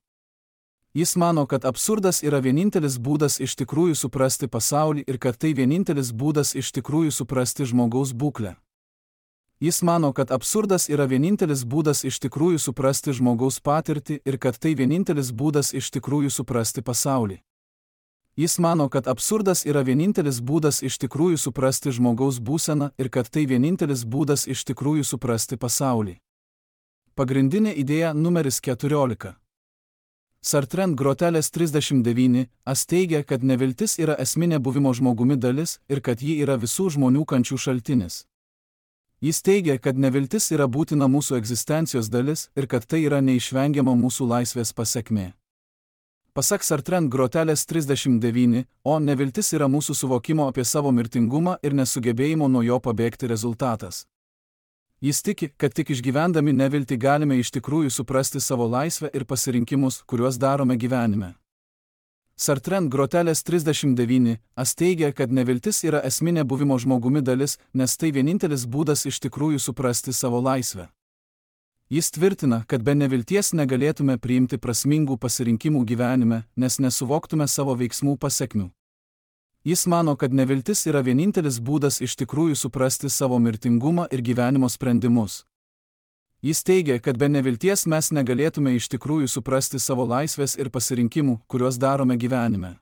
Jis mano, kad absurdas yra vienintelis būdas iš tikrųjų suprasti pasaulį ir kad tai vienintelis būdas iš tikrųjų suprasti žmogaus būklę. Jis mano, kad absurdas yra vienintelis būdas iš tikrųjų suprasti žmogaus patirtį ir kad tai vienintelis būdas iš tikrųjų suprasti pasaulį. Jis mano, kad absurdas yra vienintelis būdas iš tikrųjų suprasti žmogaus būseną ir kad tai vienintelis būdas iš tikrųjų suprasti pasaulį. Pagrindinė idėja numeris keturiolika. Sartre Grotelės trisdešimt devyni as teigia, kad neviltis yra esminė buvimo žmogumi dalis ir kad ji yra visų žmonių kančių šaltinis. Jis teigia, kad neviltis yra būtina mūsų egzistencijos dalis ir kad tai yra neišvengiama mūsų laisvės pasekmė. Pasak Sartre Grotelės trisdešimt devyni, o neviltis yra mūsų suvokimo apie savo mirtingumą ir nesugebėjimo nuo jo pabėgti rezultatas. Jis tiki, kad tik išgyvendami neviltį galime iš tikrųjų suprasti savo laisvę ir pasirinkimus, kuriuos darome gyvenime. Sartre Grotelės trisdešimt devyni as teigia, kad neviltis yra esminė buvimo žmogumi dalis, nes tai vienintelis būdas iš tikrųjų suprasti savo laisvę. Jis tvirtina, kad be nevilties negalėtume priimti prasmingų pasirinkimų gyvenime, nes nesuvoktume savo veiksmų pasekmių. Jis mano, kad neviltis yra vienintelis būdas iš tikrųjų suprasti savo mirtingumą ir gyvenimo sprendimus. Jis teigia, kad be nevilties mes negalėtume iš tikrųjų suprasti savo laisvės ir pasirinkimų, kuriuos darome gyvenime.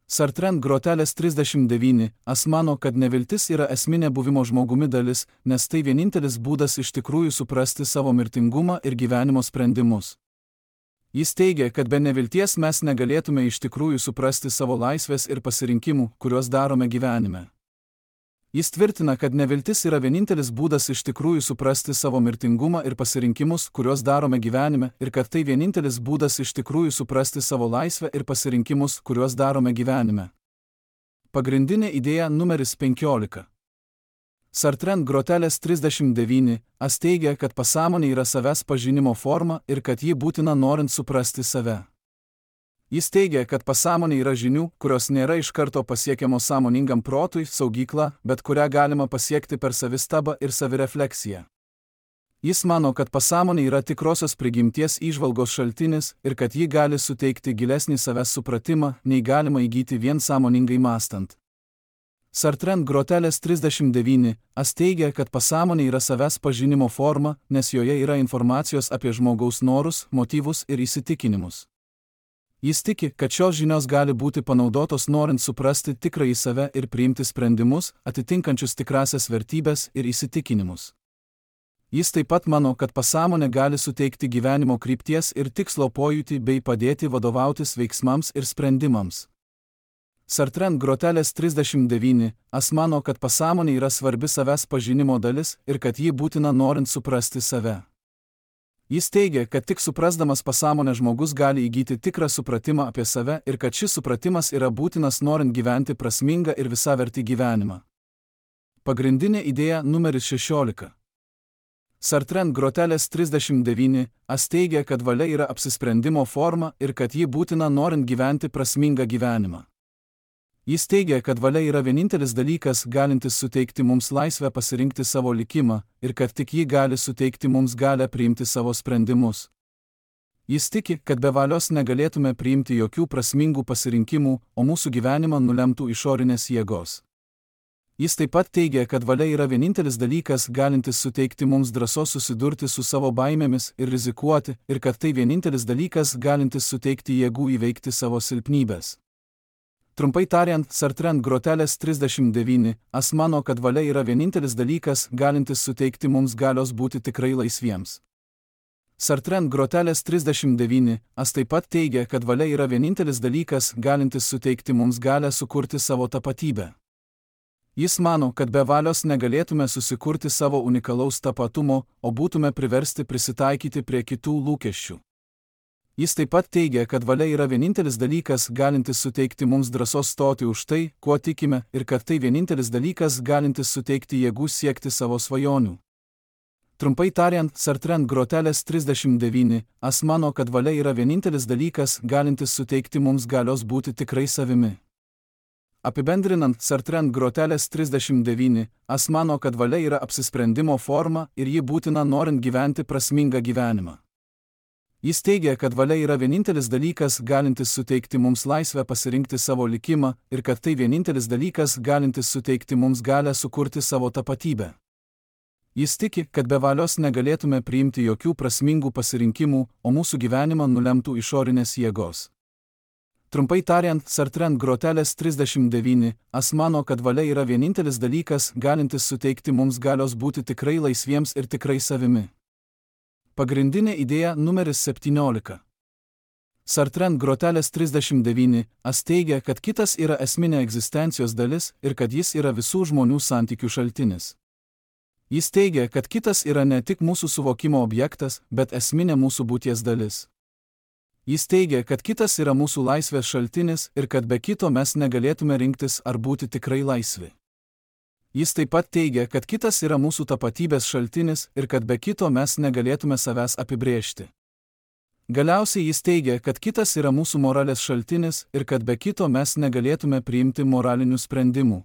Sartre Grotelės trisdešimt devyni as mano, kad neviltis yra esminė buvimo žmogumi dalis, nes tai vienintelis būdas iš tikrųjų suprasti savo mirtingumą ir gyvenimo sprendimus. Jis teigia, kad be nevilties mes negalėtume iš tikrųjų suprasti savo laisvės ir pasirinkimų, kuriuos darome gyvenime. Jis tvirtina, kad neviltis yra vienintelis būdas iš tikrųjų suprasti savo mirtingumą ir pasirinkimus, kuriuos darome gyvenime, ir kad tai vienintelis būdas iš tikrųjų suprasti savo laisvę ir pasirinkimus, kuriuos darome gyvenime. Pagrindinė idėja numeris penkiolika. Sartre Grotelės trisdešimt devyni as teigia, kad pasąmonė yra savęs pažinimo forma ir kad ji būtina norint suprasti save. Jis teigia, kad pasąmonė yra žinių, kurios nėra iš karto pasiekiamos sąmoningam protui, saugykla, bet kurią galima pasiekti per savistabą ir savirefleksiją. Jis mano, kad pasąmonė yra tikrosios prigimties įžvalgos šaltinis ir kad ji gali suteikti gilesnį savęs supratimą, nei galima įgyti vien sąmoningai mąstant. Sartre Grotelės trisdešimt devyni as teigia, kad pasąmonė yra savęs pažinimo forma, nes joje yra informacijos apie žmogaus norus, motyvus ir įsitikinimus. Jis tiki, kad šios žinios gali būti panaudotos norint suprasti tikrąjį save ir priimti sprendimus, atitinkančius tikrasias vertybės ir įsitikinimus. Jis taip pat mano, kad pasąmonė gali suteikti gyvenimo krypties ir tikslo pojūtį bei padėti vadovautis veiksmams ir sprendimams. Sartre Grotelės trisdešimt devyni as mano, kad pasąmonė yra svarbi savęs pažinimo dalis ir kad ji būtina norint suprasti save. Jis teigia, kad tik suprasdamas pasąmonę žmogus gali įgyti tikrą supratimą apie save ir kad šis supratimas yra būtinas norint gyventi prasmingą ir visavertį gyvenimą. Pagrindinė idėja numeris šešiolika. Sartre Grotelės trisdešimt devyni as teigia, kad valia yra apsisprendimo forma ir kad ji būtina norint gyventi prasmingą gyvenimą. Jis teigia, kad valia yra vienintelis dalykas, galintis suteikti mums laisvę pasirinkti savo likimą ir kad tik ji gali suteikti mums galią priimti savo sprendimus. Jis tiki, kad be valios negalėtume priimti jokių prasmingų pasirinkimų, o mūsų gyvenimą nulemtų išorinės jėgos. Jis taip pat teigia, kad valia yra vienintelis dalykas, galintis suteikti mums drąsos susidurti su savo baimėmis ir rizikuoti, ir kad tai vienintelis dalykas, galintis suteikti jėgų įveikti savo silpnybės. Trumpai tariant, Sartre Grotelės trisdešimt devyni as mano, kad valia yra vienintelis dalykas, galintis suteikti mums galios būti tikrai laisviems. Sartre Grotelės trisdešimt devyni as taip pat teigia, kad valia yra vienintelis dalykas, galintis suteikti mums galią sukurti savo tapatybę. Jis mano, kad be valios negalėtume susikurti savo unikalaus tapatumo, o būtume priversti prisitaikyti prie kitų lūkesčių. Jis taip pat teigia, kad valia yra vienintelis dalykas, galintis suteikti mums drąsos stoti už tai, kuo tikime, ir kad tai vienintelis dalykas, galintis suteikti jėgų siekti savo svajonių. Trumpai tariant, Sartre Grotelės trisdešimt devyni as mano, kad valia yra vienintelis dalykas, galintis suteikti mums galios būti tikrai savimi. Apibendrinant, Sartre Grotelės trisdešimt devyni as mano, kad valia yra apsisprendimo forma ir ji būtina norint gyventi prasmingą gyvenimą. Jis teigia, kad valia yra vienintelis dalykas, galintis suteikti mums laisvę pasirinkti savo likimą ir kad tai vienintelis dalykas, galintis suteikti mums galią sukurti savo tapatybę. Jis tiki, kad be valios negalėtume priimti jokių prasmingų pasirinkimų, o mūsų gyvenimą nulemtų išorinės jėgos. Trumpai tariant, Sartre ant grotelės trisdešimt devyni, as mano, kad valia yra vienintelis dalykas, galintis suteikti mums galios būti tikrai laisviems ir tikrai savimi. Pagrindinė idėja numeris septyniolika. Sartre ant grotelės trisdešimt devyni, as teigia, kad kitas yra esminė egzistencijos dalis ir kad jis yra visų žmonių santykių šaltinis. Jis teigia, kad kitas yra ne tik mūsų suvokimo objektas, bet esminė mūsų būties dalis. Jis teigia, kad kitas yra mūsų laisvės šaltinis ir kad be kito mes negalėtume rinktis ar būti tikrai laisvi. Jis taip pat teigia, kad kitas yra mūsų tapatybės šaltinis ir kad be kito mes negalėtume savęs apibrėžti. Galiausiai jis teigia, kad kitas yra mūsų moralės šaltinis ir kad be kito mes negalėtume priimti moralinių sprendimų.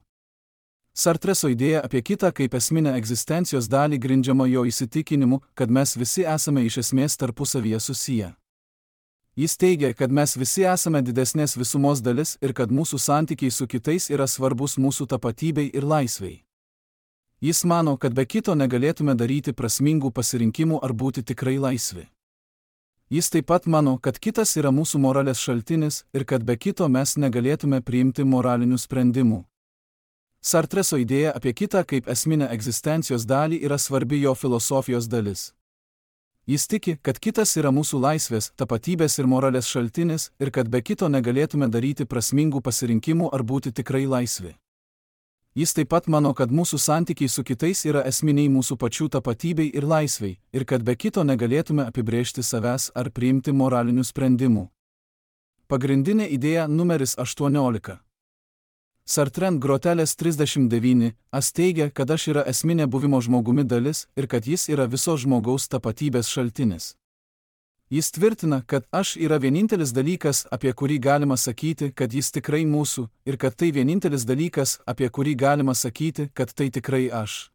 Sartreso idėja apie kitą kaip esminę egzistencijos dalį grindžiama jo įsitikinimu, kad mes visi esame iš esmės tarpusavyje susiję. Jis teigia, kad mes visi esame didesnės visumos dalis ir kad mūsų santykiai su kitais yra svarbus mūsų tapatybei ir laisvei. Jis mano, kad be kito negalėtume daryti prasmingų pasirinkimų ar būti tikrai laisvi. Jis taip pat mano, kad kitas yra mūsų moralės šaltinis ir kad be kito mes negalėtume priimti moralinių sprendimų. Sartreso idėja apie kitą kaip esminę egzistencijos dalį yra svarbi jo filosofijos dalis. Jis tiki, kad kitas yra mūsų laisvės, tapatybės ir moralės šaltinis ir kad be kito negalėtume daryti prasmingų pasirinkimų ar būti tikrai laisvi. Jis taip pat mano, kad mūsų santykiai su kitais yra esminiai mūsų pačių tapatybei ir laisvei ir kad be kito negalėtume apibrėžti savęs ar priimti moralinių sprendimų. Pagrindinė idėja numeris aštuoniolika. Sartre ant grotelės trisdešimt devyni, as teigia, kad aš yra esminė buvimo žmogumi dalis ir kad jis yra viso žmogaus tapatybės šaltinis. Jis tvirtina, kad aš yra vienintelis dalykas, apie kurį galima sakyti, kad jis tikrai mūsų, ir kad tai vienintelis dalykas, apie kurį galima sakyti, kad tai tikrai aš.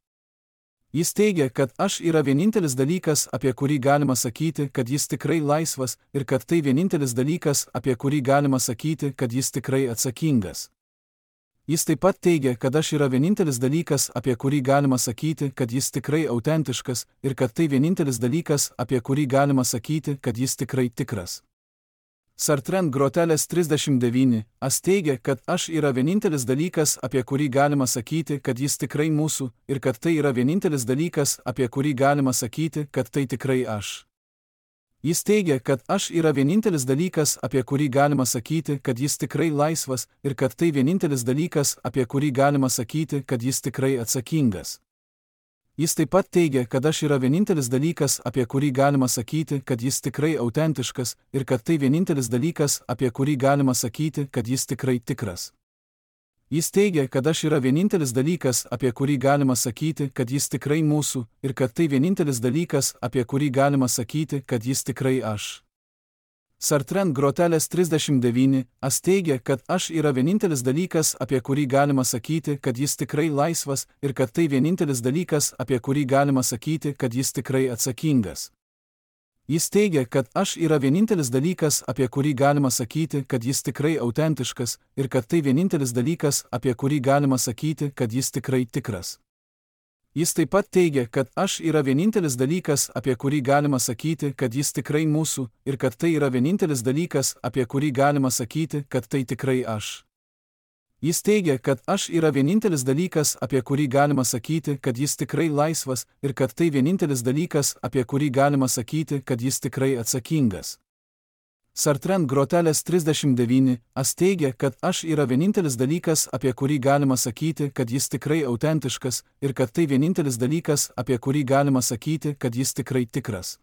Jis teigia, kad aš yra vienintelis dalykas, apie kurį galima sakyti, kad jis tikrai laisvas, ir kad tai vienintelis dalykas, apie kurį galima sakyti, kad jis tikrai atsakingas. Jis taip pat teigia, kad aš yra vienintelis dalykas, apie kurį galima sakyti, kad jis tikrai autentiškas, ir kad tai vienintelis dalykas, apie kurį galima sakyti, kad jis tikrai tikras. Sartre ant grotelės trisdešimt devyni, as teigia, kad aš yra vienintelis dalykas, apie kurį galima sakyti, kad jis tikrai mūsų, ir kad tai yra vienintelis dalykas, apie kurį galima sakyti, kad tai tikrai aš. Jis teigia, kad aš yra vienintelis dalykas, apie kurį galima sakyti, kad jis tikrai laisvas, ir kad tai vienintelis dalykas, apie kurį galima sakyti, kad jis tikrai atsakingas. Jis taip pat teigia, kad aš yra vienintelis dalykas, apie kurį galima sakyti, kad jis tikrai autentiškas, ir kad tai vienintelis dalykas, apie kurį galima sakyti, kad jis tikrai tikras. Jis teigia, kad aš yra vienintelis dalykas, apie kurį galima sakyti, kad jis tikrai mūsų, ir kad tai vienintelis dalykas, apie kurį galima sakyti, kad jis tikrai aš. Sartre ant grotelės trisdešimt devyni, as teigia, kad aš yra vienintelis dalykas, apie kurį galima sakyti, kad jis tikrai laisvas, ir kad tai vienintelis dalykas, apie kurį galima sakyti, kad jis tikrai atsakingas. Jis teigia, kad aš yra vienintelis dalykas, apie kurį galima sakyti, kad jis tikrai autentiškas, ir kad tai vienintelis dalykas, apie kurį galima sakyti, kad jis tikrai tikras. Jis taip pat teigia, kad aš yra vienintelis dalykas, apie kurį galima sakyti, kad jis tikrai mūsų, ir kad tai yra vienintelis dalykas, apie kurį galima sakyti, kad tai tikrai aš. Jis teigia, kad aš yra vienintelis dalykas, apie kurį galima sakyti, kad jis tikrai laisvas, ir kad tai vienintelis dalykas, apie kurį galima sakyti, kad jis tikrai atsakingas. Sartre ant grotelės trisdešimt devyni, as teigia, kad aš yra vienintelis dalykas, apie kurį galima sakyti, kad jis tikrai autentiškas, ir kad tai vienintelis dalykas, apie kurį galima sakyti, kad jis tikrai tikras.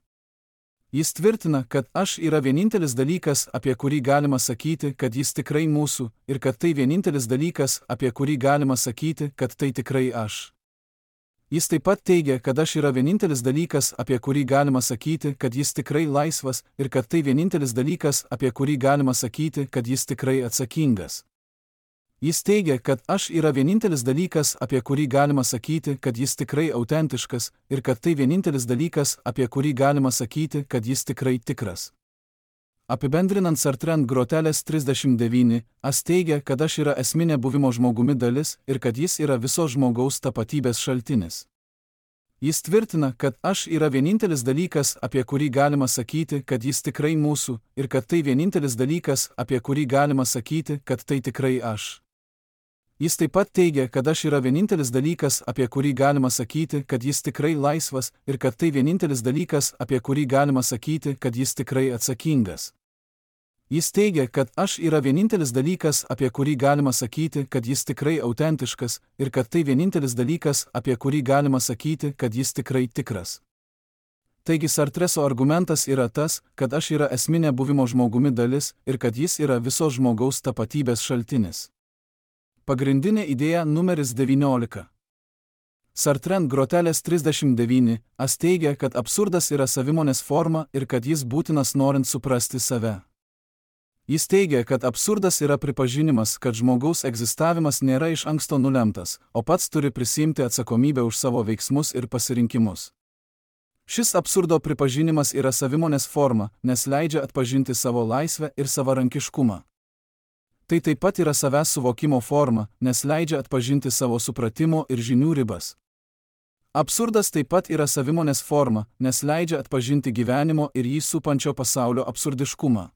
Jis tvirtina, kad aš yra vienintelis dalykas, apie kurį galima sakyti, kad jis tikrai mūsų, ir kad tai vienintelis dalykas, apie kurį galima sakyti, kad tai tikrai aš. Jis taip pat teigia, kad aš yra vienintelis dalykas, apie kurį galima sakyti, kad jis tikrai laisvas, ir kad tai vienintelis dalykas, apie kurį galima sakyti, kad jis tikrai atsakingas. Jis teigia, kad aš yra vienintelis dalykas, apie kurį galima sakyti, kad jis tikrai autentiškas, ir kad tai vienintelis dalykas, apie kurį galima sakyti, kad jis tikrai tikras. Apibendrinant Sartre ant grotelės trisdešimt devyni, as teigia, kad aš yra esminė buvimo žmogumi dalis ir kad jis yra viso žmogaus tapatybės šaltinis. Jis tvirtina, kad aš yra vienintelis dalykas, apie kurį galima sakyti, kad jis tikrai mūsų, ir kad tai vienintelis dalykas, apie kurį galima sakyti, kad tai tikrai aš. Jis taip pat teigia, kad aš yra vienintelis dalykas, apie kurį galima sakyti, kad jis tikrai laisvas, ir kad tai vienintelis dalykas, apie kurį galima sakyti, kad jis tikrai atsakingas. Jis teigia, kad aš yra vienintelis dalykas, apie kurį galima sakyti, kad jis tikrai autentiškas, ir kad tai vienintelis dalykas, apie kurį galima sakyti, kad jis tikrai tikras. Taigi Sartreso argumentas yra tas, kad aš yra esminė buvimo žmogumi dalis ir kad jis yra visos žmogaus tapatybės šaltinis. Pagrindinė idėja numeris devyniolika. Sartre grotelės trisdešimt devyni as teigia, kad absurdas yra savimonės forma ir kad jis būtinas norint suprasti save. Jis teigia, kad absurdas yra pripažinimas, kad žmogaus egzistavimas nėra iš anksto nulemtas, o pats turi prisiimti atsakomybę už savo veiksmus ir pasirinkimus. Šis absurdo pripažinimas yra savimonės forma, nes leidžia atpažinti savo laisvę ir savarankiškumą. Tai taip pat yra savęs suvokimo forma, nes leidžia atpažinti savo supratimo ir žinių ribas. Absurdas taip pat yra savimonės forma, nes leidžia atpažinti gyvenimo ir jį supančio pasaulio absurdiškumą.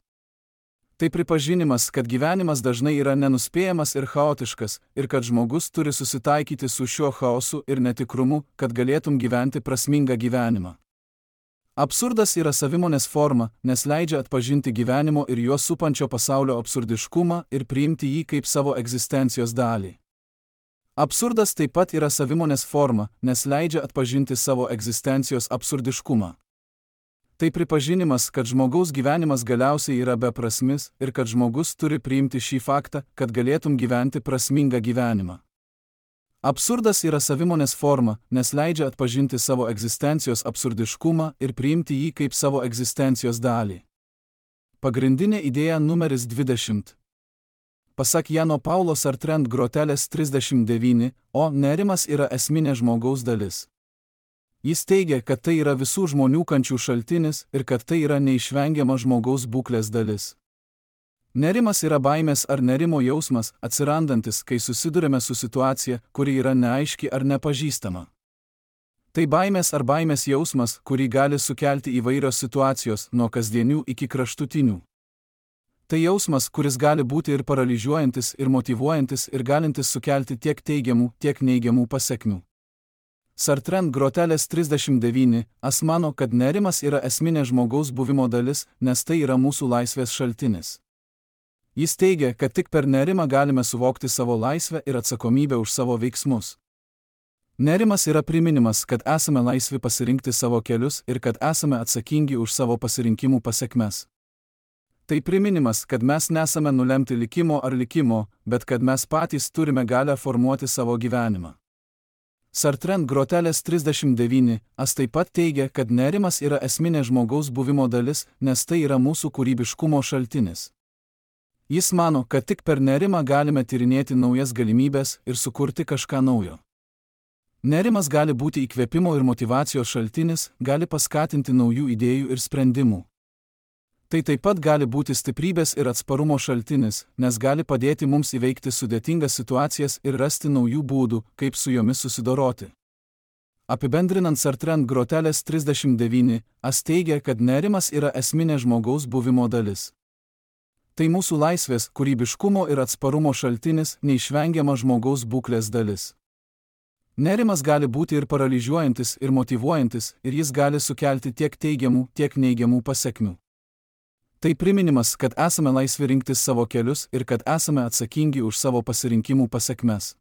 Tai pripažinimas, kad gyvenimas dažnai yra nenuspėjamas ir chaotiškas, ir kad žmogus turi susitaikyti su šiuo chaosu ir netikrumu, kad galėtum gyventi prasmingą gyvenimą. Absurdas yra savimonės forma, nes leidžia atpažinti gyvenimo ir juos supančio pasaulio absurdiškumą ir priimti jį kaip savo egzistencijos dalį. Absurdas taip pat yra savimonės forma, nes leidžia atpažinti savo egzistencijos absurdiškumą. Tai pripažinimas, kad žmogaus gyvenimas galiausiai yra beprasmis ir kad žmogus turi priimti šį faktą, kad galėtum gyventi prasmingą gyvenimą. Absurdas yra savimonės forma, nes leidžia atpažinti savo egzistencijos absurdiškumą ir priimti jį kaip savo egzistencijos dalį. Pagrindinė idėja numeris dvidešimt. Pasak Jano Paulo Sartre grotelės trisdešimt devyni, o nerimas yra esminė žmogaus dalis. Jis teigia, kad tai yra visų žmonių kančių šaltinis ir kad tai yra neišvengiama žmogaus būklės dalis. Nerimas yra baimės ar nerimo jausmas, atsirandantis, kai susidurime su situacija, kuri yra neaiški ar nepažįstama. Tai baimės ar baimės jausmas, kurį gali sukelti įvairios situacijos, nuo kasdienių iki kraštutinių. Tai jausmas, kuris gali būti ir paralyžiuojantis, ir motyvuojantis, ir galintis sukelti tiek teigiamų, tiek neigiamų pasekmių. Sartre grotelės trisdešimt devyni as mano, kad nerimas yra esminė žmogaus buvimo dalis, nes tai yra mūsų laisvės šaltinis. Jis teigia, kad tik per nerimą galime suvokti savo laisvę ir atsakomybę už savo veiksmus. Nerimas yra priminimas, kad esame laisvi pasirinkti savo kelius ir kad esame atsakingi už savo pasirinkimų pasekmes. Tai priminimas, kad mes nesame nulemti likimo ar likimo, bet kad mes patys turime galią formuoti savo gyvenimą. Sartre grotelės trisdešimt devyni as taip pat teigia, kad nerimas yra esminė žmogaus buvimo dalis, nes tai yra mūsų kūrybiškumo šaltinis. Jis mano, kad tik per nerimą galime tyrinėti naujas galimybės ir sukurti kažką naujo. Nerimas gali būti įkvėpimo ir motyvacijos šaltinis, gali paskatinti naujų idėjų ir sprendimų. Tai taip pat gali būti stiprybės ir atsparumo šaltinis, nes gali padėti mums įveikti sudėtingas situacijas ir rasti naujų būdų, kaip su jomis susidoroti. Apibendrinant Sartre grotelės trisdešimt devyni as teigia, kad nerimas yra esminė žmogaus buvimo dalis. Tai mūsų laisvės, kūrybiškumo ir atsparumo šaltinis, neišvengiama žmogaus būklės dalis. Nerimas gali būti ir paralyžiuojantis, ir motyvuojantis, ir jis gali sukelti tiek teigiamų, tiek neigiamų pasekmių. Tai priminimas, kad esame laisvi rinktis savo kelius ir kad esame atsakingi už savo pasirinkimų pasekmes.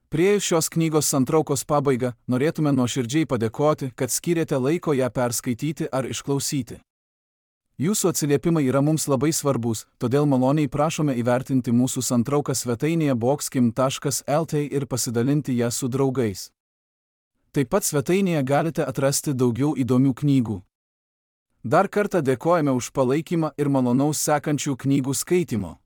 Priėjus šios knygos santraukos pabaigą, norėtume nuoširdžiai padėkoti, kad skyrėte laiko ją perskaityti ar išklausyti. Jūsų atsiliepimai yra mums labai svarbus, todėl maloniai prašome įvertinti mūsų santrauką svetainėje boxkim taškas lt ir pasidalinti ją su draugais. Taip pat svetainėje galite atrasti daugiau įdomių knygų. Dar kartą dėkojame už palaikymą ir malonaus sekančių knygų skaitimo.